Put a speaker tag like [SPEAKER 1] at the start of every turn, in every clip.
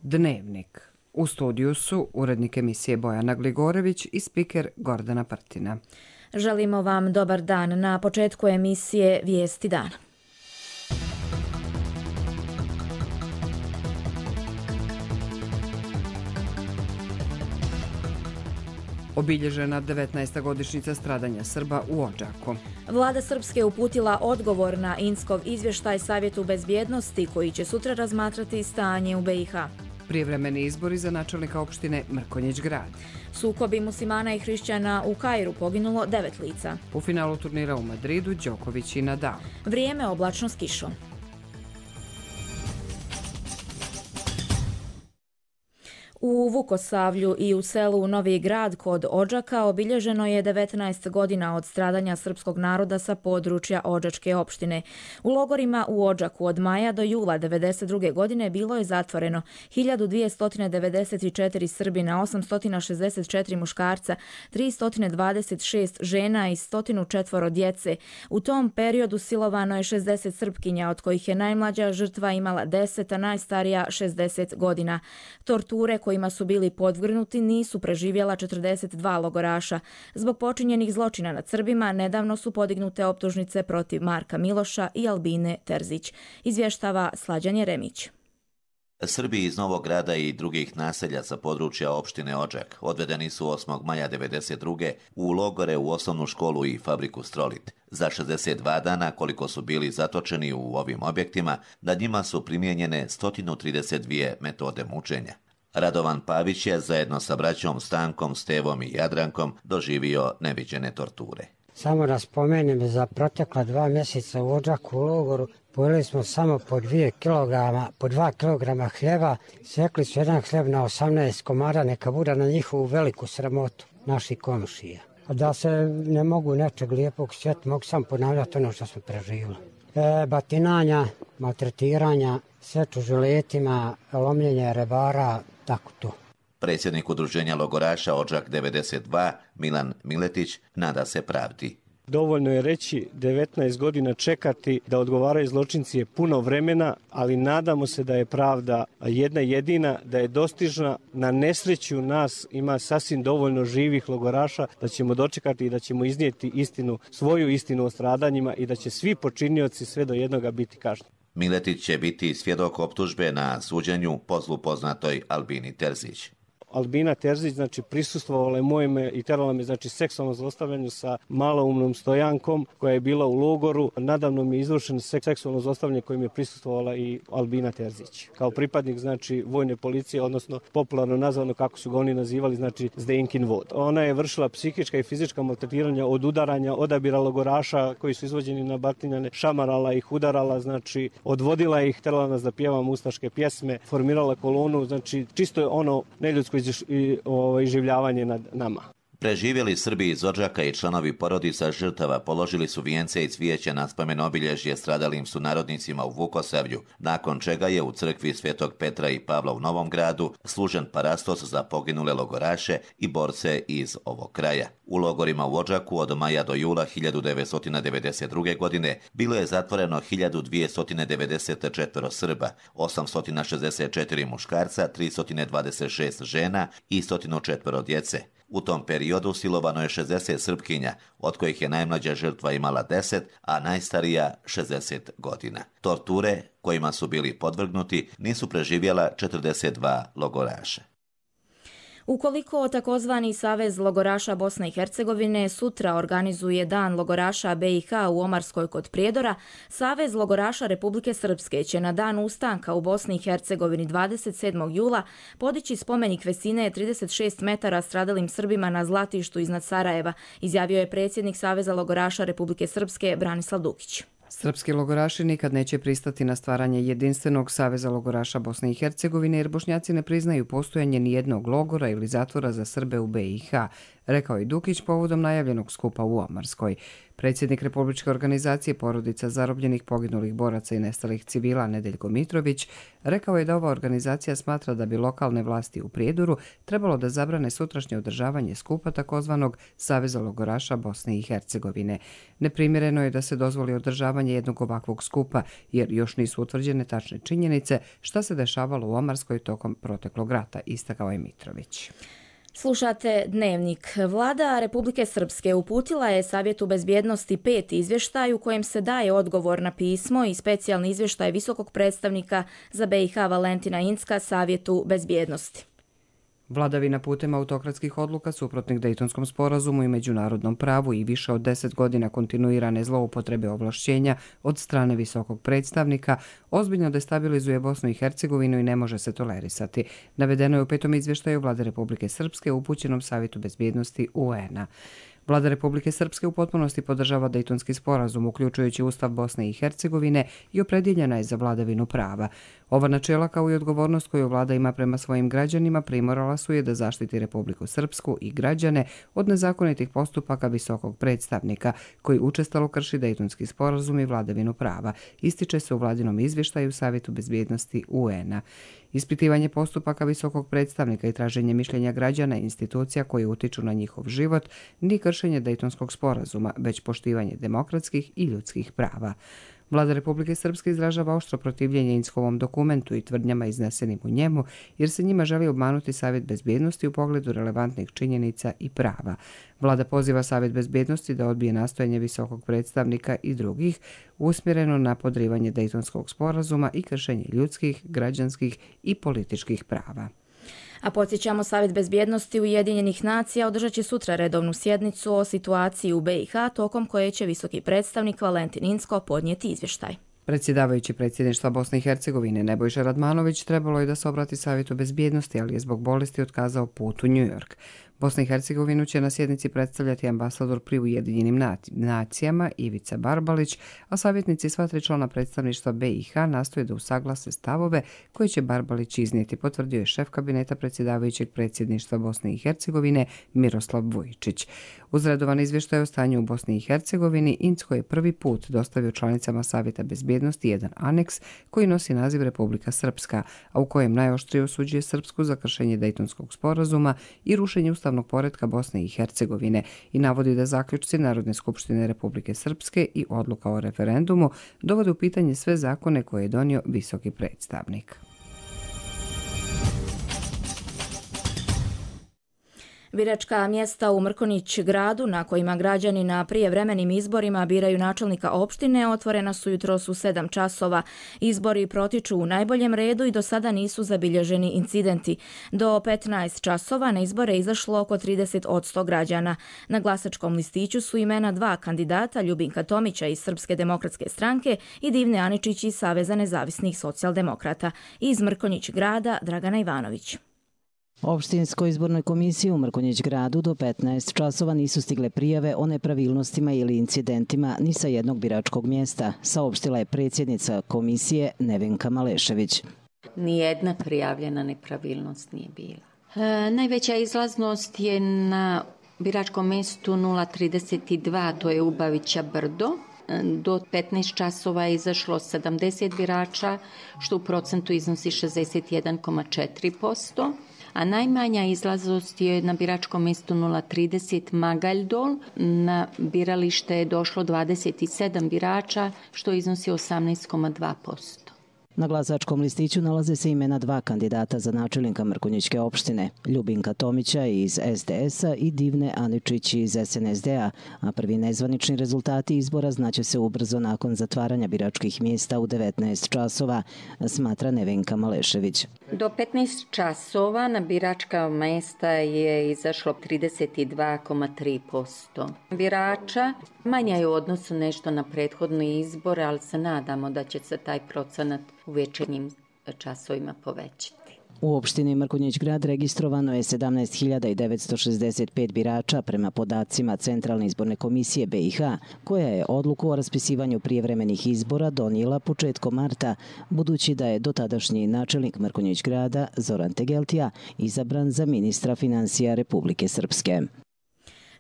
[SPEAKER 1] Dnevnik. U studiju su urednik emisije Bojana Gligorević i spiker Gordana Prtina.
[SPEAKER 2] Želimo vam dobar dan. Na početku emisije Vijesti dana.
[SPEAKER 1] Obilježena 19. godišnjica stradanja Srba u Odžaku.
[SPEAKER 2] Vlada Srpske uputila odgovor na Inskov izvještaj Savjetu bezbjednosti koji će sutra razmatrati stanje u BiH.
[SPEAKER 1] Prijevremeni izbori za načelnika opštine Mrkonjić Grad.
[SPEAKER 2] Sukobi muslimana i hrišćana u Kairu, poginulo 9 lica.
[SPEAKER 1] U finalu turnira u Madridu Đoković i Nadal.
[SPEAKER 2] Vrijeme oblačno s kišom. U Vukosavlju i u selu Novi Grad kod Odžaka obilježeno je 19 godina od stradanja srpskog naroda sa područja Odžačke opštine. U logorima u Odžaku od maja do jula 1992. godine bilo je zatvoreno 1294 Srbina, 864 muškarca, 326 žena i 104 djece. U tom periodu silovano je 60 Srpkinja, od kojih je najmlađa žrtva imala 10, a najstarija 60 godina. Torture kojima su bili podvrgnuti nisu preživjela 42 logoraša. Zbog počinjenih zločina nad Srbima nedavno su podignute optužnice protiv Marka Miloša i Albine Terzić. Izvještava Slađan Jeremić.
[SPEAKER 3] Srbi iz Novog Grada i drugih naselja sa područja opštine Odžak odvedeni su 8. maja 1992. u logore u osnovnu školu i fabriku Strolit. Za 62 dana koliko su bili zatočeni u ovim objektima, nad njima su primijenjene 132 metode mučenja. Radovan Pavić je zajedno sa braćom Stankom, Stevom i Jadrankom doživio neviđene torture.
[SPEAKER 4] Samo da spomenem, za protekla 2 mjeseca u Odžaku u logoru pojeli smo samo po 2 kilograma hljeba, sekli su jedan hljeb na 18 komara, neka bude na njihovu veliku sramotu naših komšija. Da se ne mogu nečeg lijepog sjetiti, mogu sam ponavljati ono što smo preživjeli. Batinanja, maltretiranja, seču žiletima, lomljenje rebara, tako to.
[SPEAKER 3] Predsjednik udruženja logoraša Odžak 92, Milan Miletić, nada se pravdi.
[SPEAKER 5] Dovoljno je reći 19 godina čekati da odgovaraju zločinci je puno vremena, ali nadamo se da je pravda jedna jedina, da je dostižna. Na nesreću nas ima sasvim dovoljno živih logoraša da ćemo dočekati i da ćemo iznijeti istinu, svoju istinu o stradanjima i da će svi počinioci sve do jednoga biti kažnjeni.
[SPEAKER 3] Miletić će biti svjedok optužbe na suđenju po zlu poznatoj Albini Terzić.
[SPEAKER 5] Albina Terzić, prisustvovala je mojime i terala me, seksualnom zlostavljanju sa maloumnom Stojankom koja je bila u logoru. Nadavno mi je izvršeno seksualno zlostavljanje kojim je prisustvovala i Albina Terzić. Kao pripadnik, vojne policije, odnosno popularno nazvano, kako su ga oni nazivali, Zdenkin vod. Ona je vršila psihička i fizička maltretiranja od udaranja, odabira logoraša koji su izvođeni na batinjane, šamarala ih, udarala, odvodila ih, terala nas da pjevamo ustaške pjesme, formirala kolonu, čisto je ono neljudsko iživljavanje nad nama.
[SPEAKER 3] Preživjeli Srbi iz Odžaka i članovi porodica žrtava položili su vijence i cvijeće na spomen obilježje stradalim sunarodnicima u Vukosavlju, nakon čega je u crkvi Svetog Petra i Pavla u Novom Gradu služen parastos za poginule logoraše i borce iz ovog kraja. U logorima u Odžaku od maja do jula 1992. godine bilo je zatvoreno 1294 Srba, 864 muškarca, 326 žena i 104 djece. U tom periodu silovano je 60 Srpkinja, od kojih je najmlađa žrtva imala 10, a najstarija 60 godina. Torture kojima su bili podvrgnuti nisu preživjela 42 logoraša.
[SPEAKER 2] Ukoliko takozvani Savez logoraša Bosne i Hercegovine sutra organizuje Dan logoraša BiH u Omarskoj kod Prijedora, Savez logoraša Republike Srpske će na dan ustanka u Bosni i Hercegovini 27. jula podići spomenik visine 36 metara stradalim Srbima na Zlatištu iznad Sarajeva, izjavio je predsjednik Saveza logoraša Republike Srpske Branislav Dukić.
[SPEAKER 1] Srpski logoraši nikad neće pristati na stvaranje jedinstvenog Saveza logoraša Bosne i Hercegovine jer Bošnjaci ne priznaju postojanje nijednog logora ili zatvora za Srbe u BiH, rekao je Dukić povodom najavljenog skupa u Omarskoj. Predsjednik Republičke organizacije porodica zarobljenih, poginulih boraca i nestalih civila Nedeljko Mitrović rekao je da ova organizacija smatra da bi lokalne vlasti u Prijedoru trebalo da zabrane sutrašnje održavanje skupa takozvanog Saveza logoraša Bosne i Hercegovine. Neprimjereno je da se dozvoli održavanje jednog ovakvog skupa, jer još nisu utvrđene tačne činjenice šta se dešavalo u Omarskoj tokom proteklog rata, istakao je Mitrović.
[SPEAKER 2] Slušate Dnevnik. Vlada Republike Srpske uputila je Savjetu bezbjednosti 5 izvještaj u kojem se daje odgovor na pismo i specijalni izvještaj visokog predstavnika za BiH Valentina Incka Savjetu bezbjednosti.
[SPEAKER 1] Vladavina putem autokratskih odluka suprotnih Dejtonskom sporazumu i međunarodnom pravu i više od 10 godina kontinuirane zloupotrebe ovlašćenja od strane visokog predstavnika ozbiljno destabilizuje Bosnu i Hercegovinu i ne može se tolerisati. Navedeno je u 5. izvještaju Vlade Republike Srpske upućenom Savjetu bezbjednosti UN-a. Vlada Republike Srpske u potpunosti podržava Dejtonski sporazum, uključujući Ustav Bosne i Hercegovine, i opredjeljena je za vladavinu prava. Ova načela, kao i odgovornost koju vlada ima prema svojim građanima, primorala su je da zaštiti Republiku Srpsku i građane od nezakonitih postupaka visokog predstavnika, koji učestalo krši Dejtonski sporazum i vladavinu prava, ističe se u vladinom izvještaju Savjetu bezbjednosti UN-a. Ispitivanje postupaka visokog predstavnika i traženje mišljenja građana i institucija koji utiču na njihov život nije kršenje Dejtonskog sporazuma, već poštivanje demokratskih i ljudskih prava. Vlada Republike Srpske izražava oštro protivljenje Inckovom dokumentu i tvrdnjama iznesenim u njemu, jer se njima želi obmanuti Savjet bezbjednosti u pogledu relevantnih činjenica i prava. Vlada poziva Savjet bezbjednosti da odbije nastojanje visokog predstavnika i drugih usmjereno na podrivanje Dejtonskog sporazuma i kršenje ljudskih, građanskih i političkih prava.
[SPEAKER 2] A podsjećamo, Savjet bezbjednosti Ujedinjenih nacija održat će sutra redovnu sjednicu o situaciji u BiH, tokom koje će visoki predstavnik Valentin Incko podnijeti izvještaj.
[SPEAKER 1] Predsjedavajući predsjedništva Bosne i Hercegovine Nebojša Radmanović trebalo je da se obrati Savjetu bezbjednosti, ali je zbog bolesti otkazao put u New York. Bosna i Hercegovinu će na sjednici predstavljati ambasador pri Ujedinjenim nacijama Ivica Barbalić, a savjetnici sva 3 člana predstavništva BiH nastoje da usaglase stavove koje će Barbalić iznijeti, potvrdio je šef kabineta predsjedavajućeg predsjedništva Bosne i Hercegovine Miroslav Vujičić. Uz redovan izvještaj o stanju u Bosni i Hercegovini, Incko je prvi put dostavio članicama Savjeta bezbjednosti jedan aneks koji nosi naziv Republika Srpska, a u kojem najoštrije osuđuje Srpsku za kršenje Dejtonskog sporazuma i rušenje ustavnog poretka Bosne i Hercegovine i navodi da zaključci Narodne skupštine Republike Srpske i odluka o referendumu dovode u pitanje sve zakone koje je donio visoki predstavnik.
[SPEAKER 2] Biračka mjesta u Mrkonjić gradu, na kojima građani na prijevremenim izborima biraju načelnika opštine, otvorena su jutros u 7 časova. Izbori protiču u najboljem redu i do sada nisu zabilježeni incidenti. Do 15 časova na izbore izašlo oko 30% građana. Na glasačkom listiću su imena 2 kandidata, Ljubinka Tomića iz Srpske demokratske stranke i Divne Aničić iz Saveza nezavisnih socijaldemokrata. Iz Mrkonjić grada Dragana Ivanović.
[SPEAKER 6] Opštinskoj izbornoj komisiji u Mrkonjić gradu do 15 časova nisu stigle prijave o nepravilnostima ili incidentima ni sa jednog biračkog mjesta, saopštila je predsjednica komisije Nevenka Malešević.
[SPEAKER 7] Nijedna prijavljena nepravilnost nije bila. Najveća izlaznost je na biračkom mjestu 032, to je Ubavića Brdo. Do 15 časova je izašlo 70 birača, što u procentu iznosi 61,4%. A najmanja izlaznost je na biračkom mjestu 030 Magaljdol. Na biralište je došlo 27 birača, što iznosi 18,2%.
[SPEAKER 6] Na glasačkom listiću nalaze se imena 2 kandidata za načelnika Mrkonjićke opštine, Ljubinka Tomića iz SDS-a i Divne Aničić iz SNSD-a, a prvi nezvanični rezultati izbora znaće se ubrzo nakon zatvaranja biračkih mjesta u 19 časova, smatra Nevenka Malešević.
[SPEAKER 7] Do 15 časova na biračka mjesta je izašlo 32,3% birača. Manja je u odnosu nešto na prethodni izbor, ali se nadamo da će se taj procenat u večernjim časovima povećati.
[SPEAKER 6] U opštini Mrkonjić grad registrovano je 17.965 birača prema podacima Centralne izborne komisije BiH, koja je odluku o raspisivanju prijevremenih izbora donijela početkom marta, budući da je dotadašnji načelnik Mrkonjić grada Zoran Tegeltija izabran za ministra financija Republike Srpske.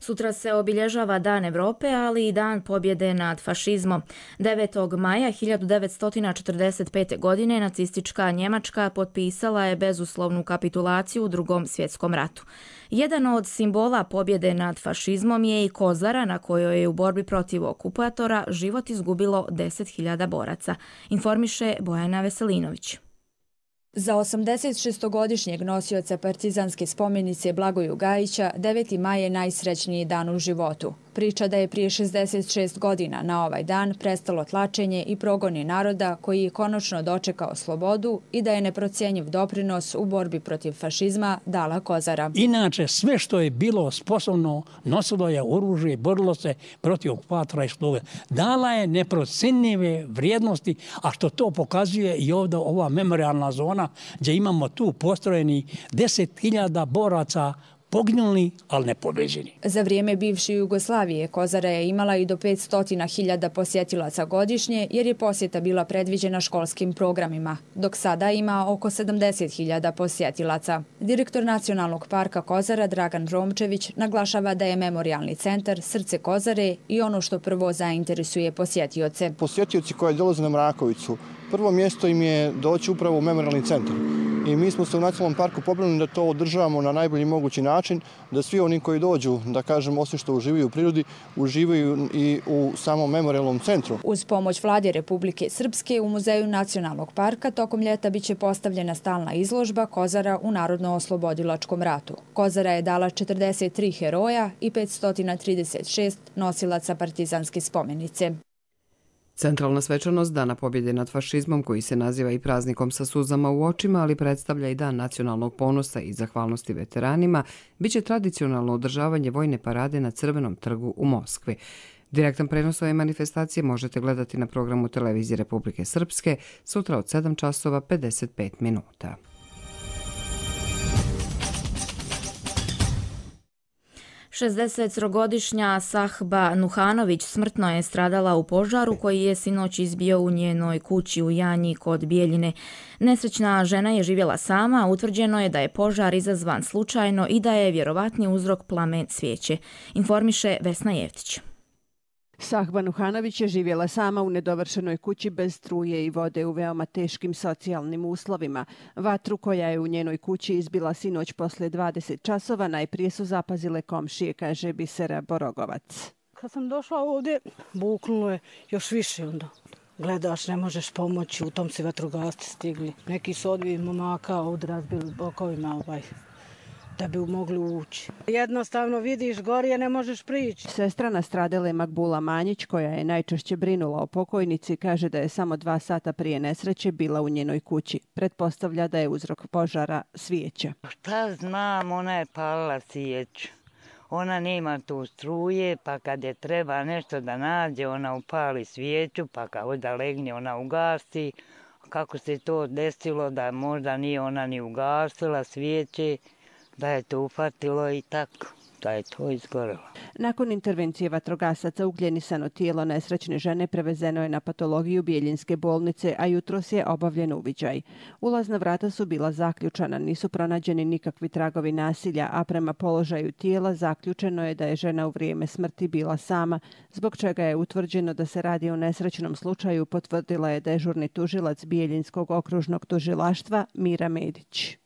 [SPEAKER 2] Sutra se obilježava Dan Evrope, ali i Dan pobjede nad fašizmom. 9. maja 1945. godine nacistička Njemačka potpisala je bezuslovnu kapitulaciju u Drugom svjetskom ratu. Jedan od simbola pobjede nad fašizmom je i Kozara, na kojoj je u borbi protiv okupatora život izgubilo 10.000 boraca, informiše Bojana Veselinović. Za 86-godišnjeg nosioca partizanske spomenice Blagoju Gajića 9. maj je najsrećniji dan u životu. Priča da je prije 66 godina na ovaj dan prestalo tlačenje i progoni naroda koji je konačno dočekao slobodu i da je neprocjenjiv doprinos u borbi protiv fašizma dala Kozara.
[SPEAKER 8] Inače, sve što je bilo sposobno nosilo je oružje, borilo se protiv okupatora i sluge. Dala je neprocjenjive vrijednosti, a što to pokazuje i ovdje ova memorialna zona gdje imamo tu postrojeni 10.000 boraca poginuli, ali ne pobeđeni.
[SPEAKER 2] Za vrijeme bivše Jugoslavije Kozara je imala i do 500.000 posjetilaca godišnje jer je posjeta bila predviđena školskim programima, dok sada ima oko 70.000 posjetilaca. Direktor Nacionalnog parka Kozara Dragan Romčević naglašava da je memorialni centar srce Kozare i ono što prvo zainteresuje posjetioce.
[SPEAKER 9] Posjetioci koji dolaze na Mrakovicu, prvo mjesto im je doći upravo u memorialni centar. I mi smo se u Nacionalnom parku pobrinuli da to održavamo na najbolji mogući način, da svi oni koji dođu, da kažem, osim što uživaju u prirodi, uživaju i u samom memorialnom centru.
[SPEAKER 2] Uz pomoć Vlade Republike Srpske u Muzeju Nacionalnog parka tokom ljeta biće postavljena stalna izložba Kozara u Narodno-oslobodilačkom ratu. Kozara je dala 43 heroja i 536 nosilaca partizanske spomenice.
[SPEAKER 1] Centralna svečanost Dana pobjede nad fašizmom, koji se naziva i praznikom sa suzama u očima, ali predstavlja i dan nacionalnog ponosa i zahvalnosti veteranima, biće tradicionalno održavanje vojne parade na Crvenom trgu u Moskvi. Direktan prenos ove manifestacije možete gledati na programu Televizije Republike Srpske sutra od 7 časova 55 minuta.
[SPEAKER 2] Šezdesetogodišnja Sahba Nuhanović smrtno je stradala u požaru koji je sinoć izbio u njenoj kući u Janji kod Bijeljine. Nesrećna žena je živjela sama, utvrđeno je da je požar izazvan slučajno i da je vjerovatni uzrok plamen svijeće, informiše Vesna Jevtić.
[SPEAKER 10] Sahba Nuhanović je živjela sama u nedovršenoj kući bez struje i vode u veoma teškim socijalnim uslovima. Vatru koja je u njenoj kući izbila sinoć posle 20 časova najprije su zapazile komšije, kaže Bisera Borogovac.
[SPEAKER 11] Kad sam došla ovdje, buknulo je još više onda. Gledaš, ne možeš pomoći, u tom se vatrogasci stigli. Neki su odvijeli momaka ovdje razbili bokovima da bi mogli ući. Jednostavno vidiš gorije, ne možeš prići.
[SPEAKER 10] Sestra nastradele Makbula Manjić, koja je najčešće brinula o pokojnici, kaže da je samo 2 sata prije nesreće bila u njenoj kući. Pretpostavlja da je uzrok požara svijeća.
[SPEAKER 12] Šta znam, ona je palila svijeću. Ona nema tu struje, pa kad je treba nešto da nađe, ona upali svijeću, pa kao da legne, ona ugasi. Kako se to desilo da možda nije ona ni ugasila svijeće, da je to ufatilo i tako, da je to izgorelo.
[SPEAKER 10] Nakon intervencije vatrogasaca ugljenisano tijelo nesrećne žene prevezeno je na patologiju Bijeljinske bolnice, a jutros je obavljen uviđaj. Ulazna vrata su bila zaključana, nisu pronađeni nikakvi tragovi nasilja, a prema položaju tijela zaključeno je da je žena u vrijeme smrti bila sama, zbog čega je utvrđeno da se radi o nesrećnom slučaju, potvrdila je dežurni tužilac Bijeljinskog okružnog tužilaštva Mira Medić.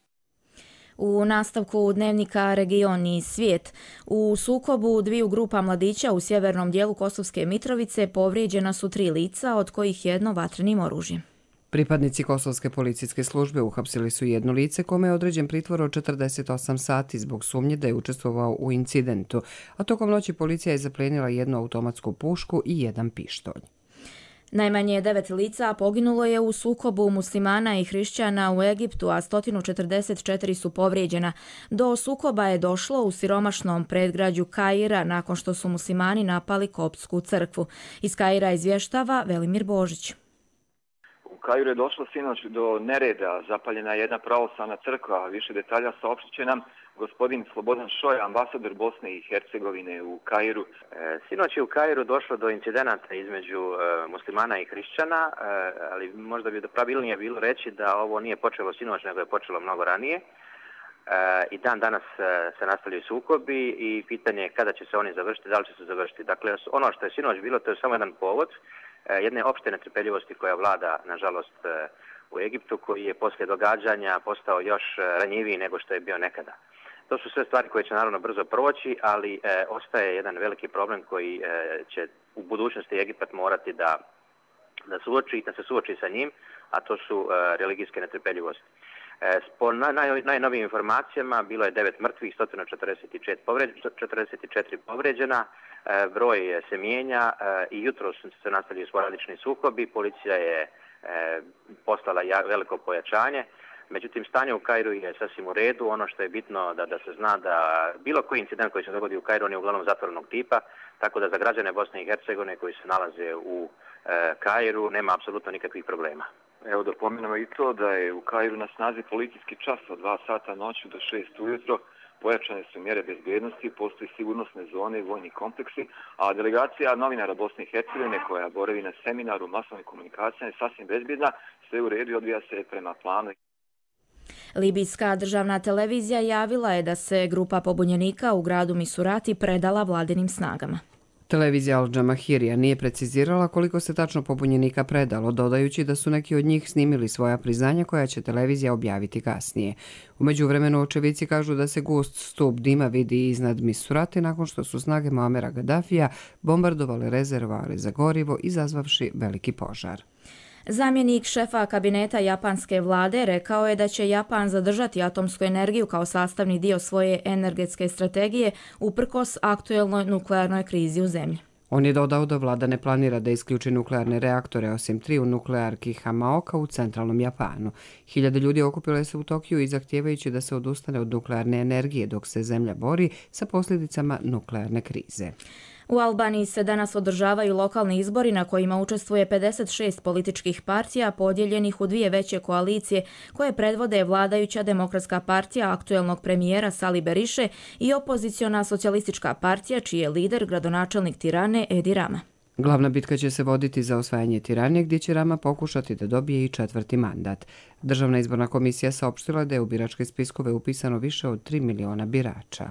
[SPEAKER 2] U nastavku dnevnika Region i svijet, u sukobu dviju grupa mladića u sjevernom dijelu Kosovske Mitrovice povrijeđena su 3 lica, od kojih jedno vatrenim oružjem.
[SPEAKER 1] Pripadnici Kosovske policijske službe uhapsili su jedno lice kome je određen pritvor od 48 sati zbog sumnje da je učestvovao u incidentu, a tokom noći policija je zaplijenila jednu automatsku pušku i jedan pištolj.
[SPEAKER 2] Najmanje 9 lica poginulo je u sukobu muslimana i hrišćana u Egiptu, a 144 su povrijeđena. Do sukoba je došlo u siromašnom predgrađu Kaira nakon što su muslimani napali koptsku crkvu. Iz Kaira izvještava Velimir Božić.
[SPEAKER 13] U Kairu je došlo sinoć do nereda, zapaljena je jedna pravoslavna crkva. Više detalja saopštit će nam gospodin Slobodan Šoj, ambasador Bosne i Hercegovine u Kairu.
[SPEAKER 14] Sinoć je u Kairu došlo do incidenata između muslimana i hrišćana, ali možda bi pravilnije bilo reći da ovo nije počelo sinoć, nego je počelo mnogo ranije. i dan danas se nastavljaju sukobi i pitanje je kada će se oni završiti, da li će se završiti. Dakle, ono što je sinoć bilo, to je samo jedan povod jedne opšte netrpeljivosti koja vlada, nažalost, u Egiptu, koji je poslije događanja postao još ranjiviji nego što je bio nekada. To su sve stvari koje će naravno brzo proći, ali ostaje jedan veliki problem koji će u budućnosti Egipat morati da se suoči sa njim, a to su religijske netrpeljivosti. Po najnovijim informacijama bilo je 9 mrtvih, 144 povređena, broj se mijenja i jutro se nastavljaju sporadični sukobi, policija je poslala veliko pojačanje, međutim stanje u Kairu je sasvim u redu. Ono što je bitno da se zna da bilo koji incident koji se dogodi u Kairu on je uglavnom zatvorenog tipa, tako da za građane Bosne i Hercegovine koji se nalaze u Kairu nema apsolutno nikakvih problema.
[SPEAKER 13] Evo da pomenemo i to da je u Kairu na snazi policijski čas od 2 sata noću do 6 ujutro. Pojačane su mjere bezbjednosti, postoji sigurnosne zone i vojni kompleksi, a delegacija novinara Bosne i Hercegovine koja boravi na seminaru masovne komunikacije je sasvim bezbjedna, sve u redu i odvija se prema planu.
[SPEAKER 2] Libijska državna televizija javila je da se grupa pobunjenika u gradu Misurati predala vladinim snagama.
[SPEAKER 1] Televizija Al Džamahirija nije precizirala koliko se tačno pobunjenika predalo, dodajući da su neki od njih snimili svoja priznanja koja će televizija objaviti kasnije. U međuvremenu očevici kažu da se gust stup dima vidi iznad Misurati nakon što su snage Muamera Gadafija bombardovale rezervoare za gorivo, izazvavši veliki požar.
[SPEAKER 2] Zamjenik šefa kabineta japanske vlade rekao je da će Japan zadržati atomsku energiju kao sastavni dio svoje energetske strategije uprkos aktuelnoj nuklearnoj krizi u zemlji.
[SPEAKER 1] On je dodao da vlada ne planira da isključi nuklearne reaktore osim 3 u nuklearki Hamaoka u centralnom Japanu. Hiljade ljudi okupile se u Tokiju i zahtijevajući da se odustane od nuklearne energije dok se zemlja bori sa posljedicama nuklearne krize.
[SPEAKER 2] U Albaniji se danas održavaju lokalni izbori na kojima učestvuje 56 političkih partija podijeljenih u 2 veće koalicije koje predvode vladajuća Demokratska partija aktuelnog premijera Sali Beriše i opoziciona Socijalistička partija čiji je lider gradonačelnik Tirane Edi Rama.
[SPEAKER 1] Glavna bitka će se voditi za osvajanje Tirane gdje će Rama pokušati da dobije i 4. mandat. Državna izborna komisija saopštila da je u biračke spiskove upisano više od 3 miliona birača.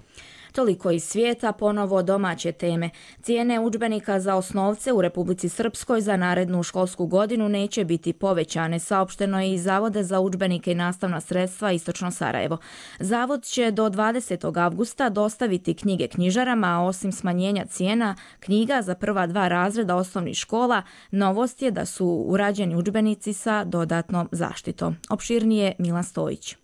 [SPEAKER 2] Toliko iz svijeta, ponovo domaće teme. Cijene udžbenika za osnovce u Republici Srpskoj za narednu školsku godinu neće biti povećane, saopšteno je iz Zavoda za udžbenike i nastavna sredstva Istočno Sarajevo. Zavod će do 20. avgusta dostaviti knjige knjižarama, a osim smanjenja cijena knjiga za prva 2 razreda osnovnih škola, novost je da su urađeni udžbenici sa dodatnom zaštitom. Opširnije Milan Stojić.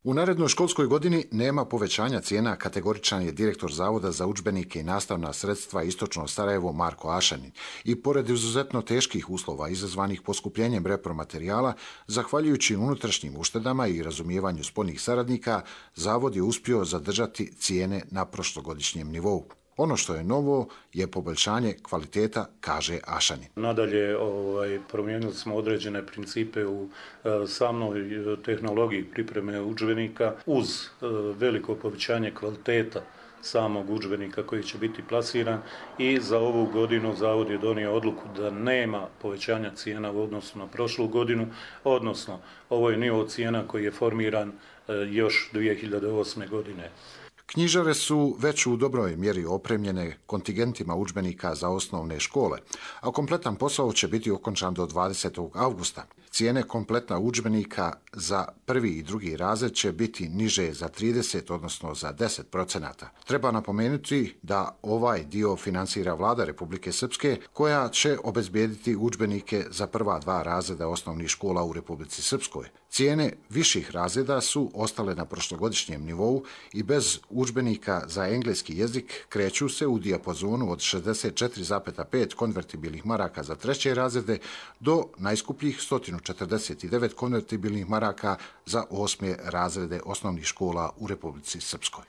[SPEAKER 15] U narednoj školskoj godini nema povećanja cijena, kategoričan je direktor Zavoda za udžbenike i nastavna sredstva Istočno Sarajevo Marko Ašanin. I pored izuzetno teških uslova izazvanih poskupljenjem repromaterijala, zahvaljujući unutrašnjim uštedama i razumijevanju spoljnih saradnika, Zavod je uspio zadržati cijene na prošlogodišnjem nivou. Ono što je novo je poboljšanje kvaliteta, kaže Ašanin.
[SPEAKER 16] Nadalje, promijenili smo određene principe u samoj tehnologiji pripreme udžbenika uz veliko povećanje kvaliteta samog udžbenika koji će biti plasiran i za ovu godinu Zavod je donio odluku da nema povećanja cijena u odnosu na prošlu godinu, odnosno ovo je nivo cijena koji je formiran još 2008. godine.
[SPEAKER 15] Knjižare su već u dobroj mjeri opremljene kontingentima udžbenika za osnovne škole, a kompletan posao će biti okončan do 20. avgusta. Cijene kompletna udžbenika za 1. i 2. razred će biti niže za 30, odnosno za 10%. Treba napomenuti da ovaj dio finansira vlada Republike Srpske, koja će obezbijediti udžbenike za prva 2 razreda osnovnih škola u Republici Srpskoj. Cijene viših razreda su ostale na prošlogodišnjem nivou i bez udžbenika za engleski jezik kreću se u dijapazonu od 64,5 konvertibilnih maraka za 3. razrede do najskupljih 149 konvertibilnih maraka za 8. razrede osnovnih škola u Republici Srpskoj.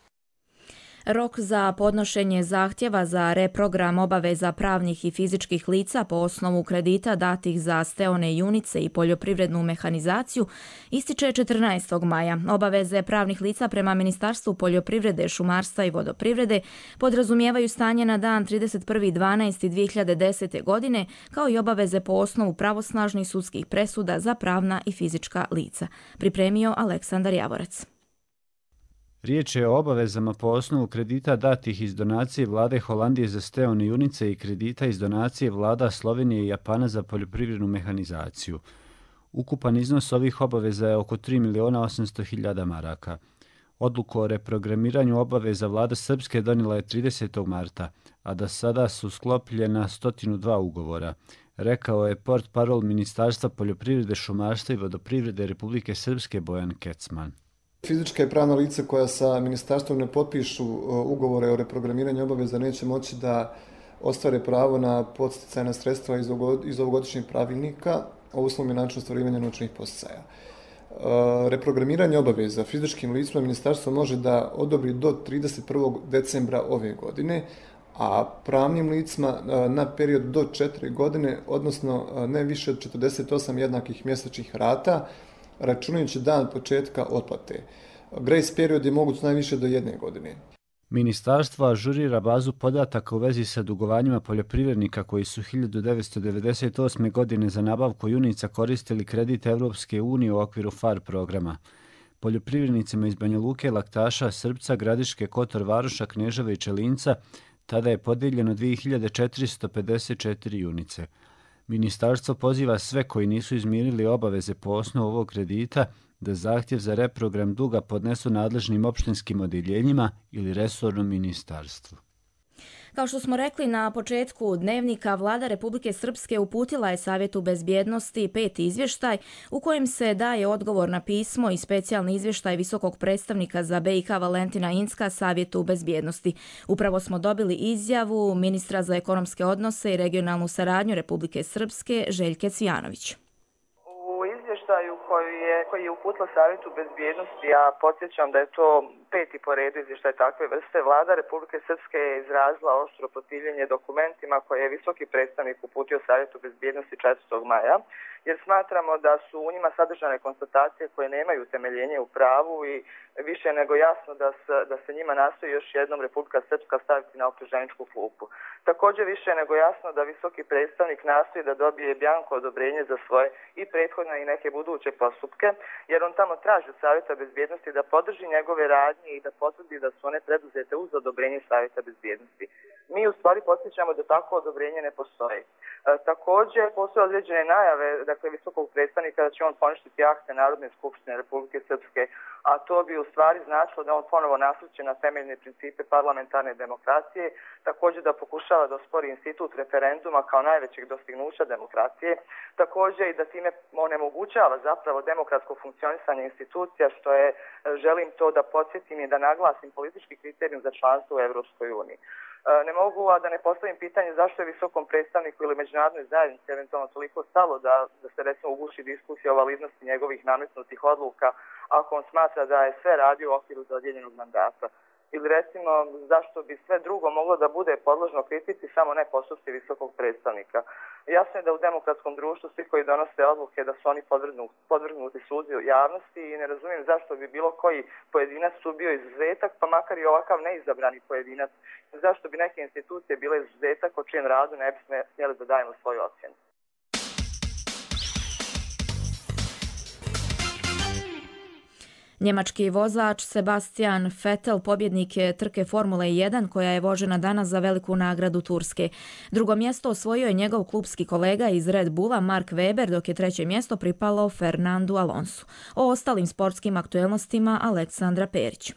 [SPEAKER 2] Rok za podnošenje zahtjeva za reprogram obaveza pravnih i fizičkih lica po osnovu kredita datih za steone junice i poljoprivrednu mehanizaciju ističe 14. maja. Obaveze pravnih lica prema Ministarstvu poljoprivrede, šumarstva i vodoprivrede podrazumijevaju stanje na dan 31.12.2010. godine, kao i obaveze po osnovu pravosnažnih sudskih presuda za pravna i fizička lica. Pripremio Aleksandar Javorac.
[SPEAKER 17] Riječ je o obavezama po osnovu kredita datih iz donacije vlade Holandije za steone junice i kredita iz donacije vlada Slovenije i Japana za poljoprivrednu mehanizaciju. Ukupan iznos ovih obaveza je oko 3.800.000 maraka. Odluku o reprogramiranju obaveza vlada Srpske donijela je 30. marta, a da sada su sklopljena 102 ugovora, rekao je portparol Ministarstva poljoprivrede, šumarstva i vodoprivrede Republike Srpske Bojan Kecman.
[SPEAKER 18] Fizička i pravna lica koja sa ministarstvom ne potpišu ugovore o reprogramiranju obaveza neće moći da ostvare pravo na podsticajna sredstva iz ovogodišnjeg pravilnika o uslovima i načinu ostvarivanja novčanih podsticaja. Reprogramiranje obaveza fizičkim licima ministarstvo može da odobri do 31. decembra ove godine, a pravnim licima na period do 4 godine, odnosno ne više od 48 jednakih mjesečnih rata, računajući dan početka otplate. Grace period je moguć najviše do 1 godine.
[SPEAKER 17] Ministarstvo ažurira bazu podataka u vezi sa dugovanjima poljoprivrednika koji su 1998. godine za nabavku junica koristili kredit Evropske unije u okviru FAR programa. Poljoprivrednicima iz Banja Luke, Laktaša, Srpca, Gradiške, Kotor, Varoša, Kneževe i Čelinca tada je podijeljeno 2454 junice. Ministarstvo poziva sve koji nisu izmirili obaveze po osnovu ovog kredita da zahtjev za reprogram duga podnesu nadležnim opštinskim odjeljenjima ili resornom ministarstvu.
[SPEAKER 2] Kao što smo rekli na početku dnevnika, vlada Republike Srpske uputila je Savjetu bezbjednosti 5. izvještaj u kojem se daje odgovor na pismo i specijalni izvještaj visokog predstavnika za BiH Valentina Incka Savjetu bezbjednosti. Upravo smo dobili izjavu ministra za ekonomske odnose i regionalnu saradnju Republike Srpske Željke Cvijanović.
[SPEAKER 19] Koji je uputila Savjetu bezbjednosti, ja podsjećam da je to 5. po redu izvještaj takve vrste, vlada Republike Srpske je izrazila oštro protivljenje dokumentima koje je visoki predstavnik uputio Savjetu bezbjednosti 4. maja, jer smatramo da su u njima sadržane konstatacije koje nemaju utemeljenje u pravu i više nego jasno da se njima nastoji još jednom Republika Srpska staviti na optuženičku klupu. Također više nego jasno da visoki predstavnik nastoji da dobije bjanko odobrenje za svoje i prethodne i neke buduće postupke, jer on tamo traži od Savjeta bezbjednosti da podrži njegove radnje i da potvrdi da su one preduzete uz odobrenje Savjeta bezbjednosti. Mi u stvari podsjećamo da takvo odobrenje ne postoji. Također postoje određene najave, dakle, visokog predstavnika da će on poništiti akte Narodne skupštine Republike Srpske, a to bi u stvari značilo da on ponovo nasluće na temeljne principe parlamentarne demokracije, također da pokušava da ospori institut referenduma kao najvećeg dostignuća demokracije, također i da time onemogućava zapravo demokratsko funkcionisanje institucija, što je, želim to da podsjetim i da naglasim, politički kriterijum za članstvo u Evropskoj uniji. Ne mogu, a da ne postavim pitanje zašto je visokom predstavniku ili međunarodnoj zajednici eventualno toliko stalo da se recimo uguši diskusija o validnosti njegovih nametnutih odluka ako on smatra da je sve radio u okviru dodijeljenog mandata. Ili recimo zašto bi sve drugo moglo da bude podložno kritici, samo ne postupci visokog predstavnika. Jasno je da u demokratskom društvu svi koji donose odluke da su oni podvrgnuti sudu javnosti i ne razumijem zašto bi bilo koji pojedinac tu bio izuzetak, pa makar i ovakav neizabrani pojedinac. Zašto bi neke institucije bile izuzetak o čijem radu ne bi smjeli da dajemo svoju ocjenu.
[SPEAKER 2] Njemački vozač Sebastian Vettel pobjednik je trke Formule 1 koja je vožena danas za veliku nagradu Turske. Drugo mjesto osvojio je njegov klubski kolega iz Red Bulla Mark Webber, dok je treće mjesto pripalo Fernandu Alonsu. O ostalim sportskim aktuelnostima Aleksandra Perić.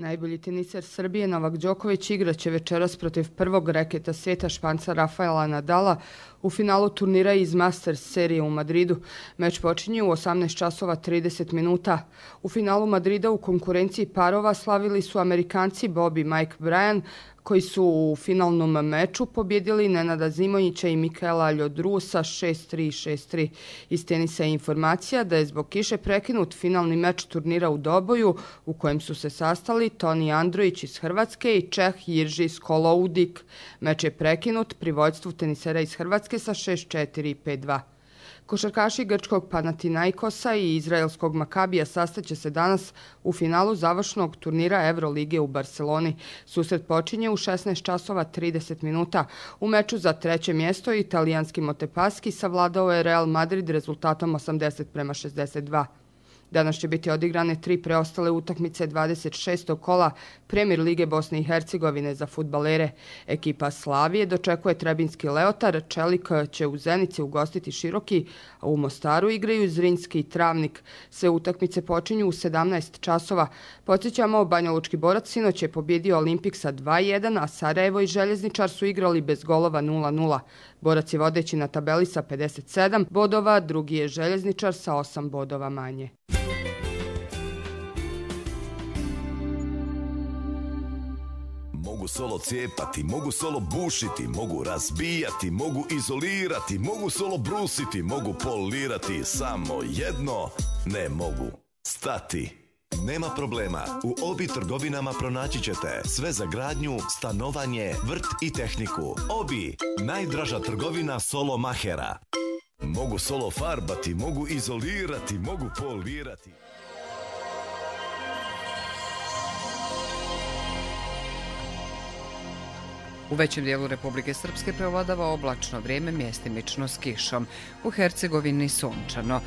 [SPEAKER 20] Najbolji teniser Srbije Novak Đoković igraće večeras protiv prvog reketa svijeta Španca Rafaela Nadala u finalu turnira iz Masters serije u Madridu. Meč počinje u 18:30. U finalu Madrida u konkurenciji parova slavili su Amerikanci Bobby i Mike Bryan, koji su u finalnom meču pobjedili Nenada Zimonjića i Mikaela Ljodrusa 6-3 i 6-3. Iz tenisa je informacija da je zbog kiše prekinut finalni meč turnira u Doboju u kojem su se sastali Toni Androjić iz Hrvatske i Čeh Jirži Skoloudik. Meč je prekinut pri vođstvu tenisera iz Hrvatske sa 6-4 i 5-2. Košarkaši grčkog Panathinaikosa i izraelskog Makabija sastaće se danas u finalu završnog turnira Evrolige u Barceloni. Susret počinje u 16:30. U meču za treće mjesto italijanski Montepaschi savladao je Real Madrid rezultatom 80:62. Danas će biti odigrane 3 preostale utakmice 26. kola Premier lige Bosne i Hercegovine za fudbalere. Ekipa Slavije dočekuje Trebinski Leotar, Čelik će u Zenici ugostiti Široki, a u Mostaru igraju Zrinjski i Travnik. Sve utakmice počinju u 17 časova. Podsjećamo, Banjalučki Borac sinoć je pobjedio Olimpik sa 2-1, a Sarajevo i Željezničar su igrali bez golova 0-0. Borac je vodeći na tabeli sa 57 bodova, drugi je Željezničar sa 8 bodova manje.
[SPEAKER 21] Mogu solo cijepati, mogu solo bušiti, mogu razbijati, mogu izolirati, mogu solo brusiti, mogu polirati, samo jedno ne mogu stati. Nema problema, u Obi trgovinama pronaći ćete sve za gradnju, stanovanje, vrt i tehniku. Obi, najdraža trgovina solo mahera. Mogu solo farbati, mogu izolirati, mogu polirati.
[SPEAKER 1] U većem dijelu Republike Srpske prevladava oblačno vrijeme, mjestimično s kišom. U Hercegovini sunčano.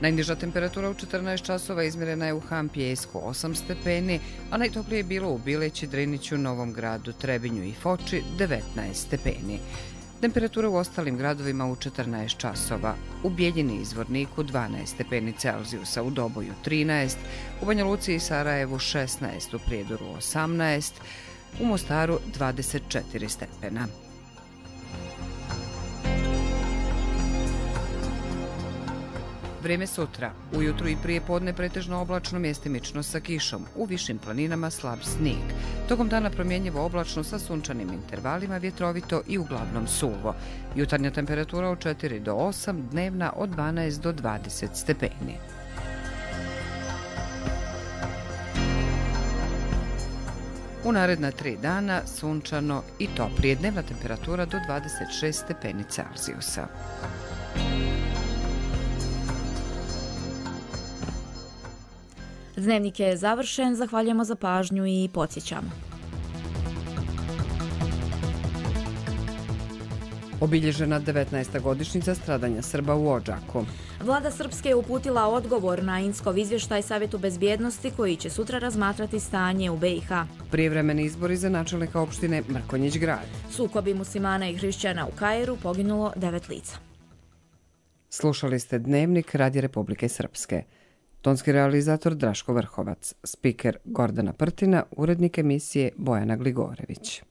[SPEAKER 1] Najniža temperatura u 14 časova izmjerena je u Hampijejsku 8 stepeni, a najtoplije je bilo u Bileći, Driniću, Novom Gradu, Trebinju i Foči 19 stepeni. Temperatura u ostalim gradovima u 14 časova. U Bijeljini i Zvorniku 12 stepeni Celzijusa, u Doboju 13, u Banja Luci i Sarajevu 16, u Prijedoru 18, u Mostaru 24 stepena. Vrijeme sutra. Ujutru i prije podne pretežno oblačno, mjestimično sa kišom. U višim planinama slab snijeg. Tokom dana promjenjivo oblačno sa sunčanim intervalima, vjetrovito i uglavnom suvo. Jutarnja temperatura od 4 do 8, dnevna od 12 do 20 stepeni. U naredna 3 dana sunčano i toplije, dnevna temperatura do 26 stepeni Celzijusa.
[SPEAKER 2] Dnevnik je završen, zahvaljujemo za pažnju i podsjećamo.
[SPEAKER 1] Obilježena 19. godišnjica stradanja Srba u Odžaku.
[SPEAKER 2] Vlada Srpske je uputila odgovor na Inskov izvještaj Savjetu bezbjednosti koji će sutra razmatrati stanje u BiH.
[SPEAKER 1] Prijevremeni izbori za načelnika opštine Mrkonjić Grad.
[SPEAKER 2] Sukobi muslimana i hrišćana u Kairu, poginulo 9 lica.
[SPEAKER 1] Slušali ste Dnevnik Radija Republike Srpske. Tonski realizator Draško Vrhovac, spiker Gordana Prtina, urednik emisije Bojana Gligorević.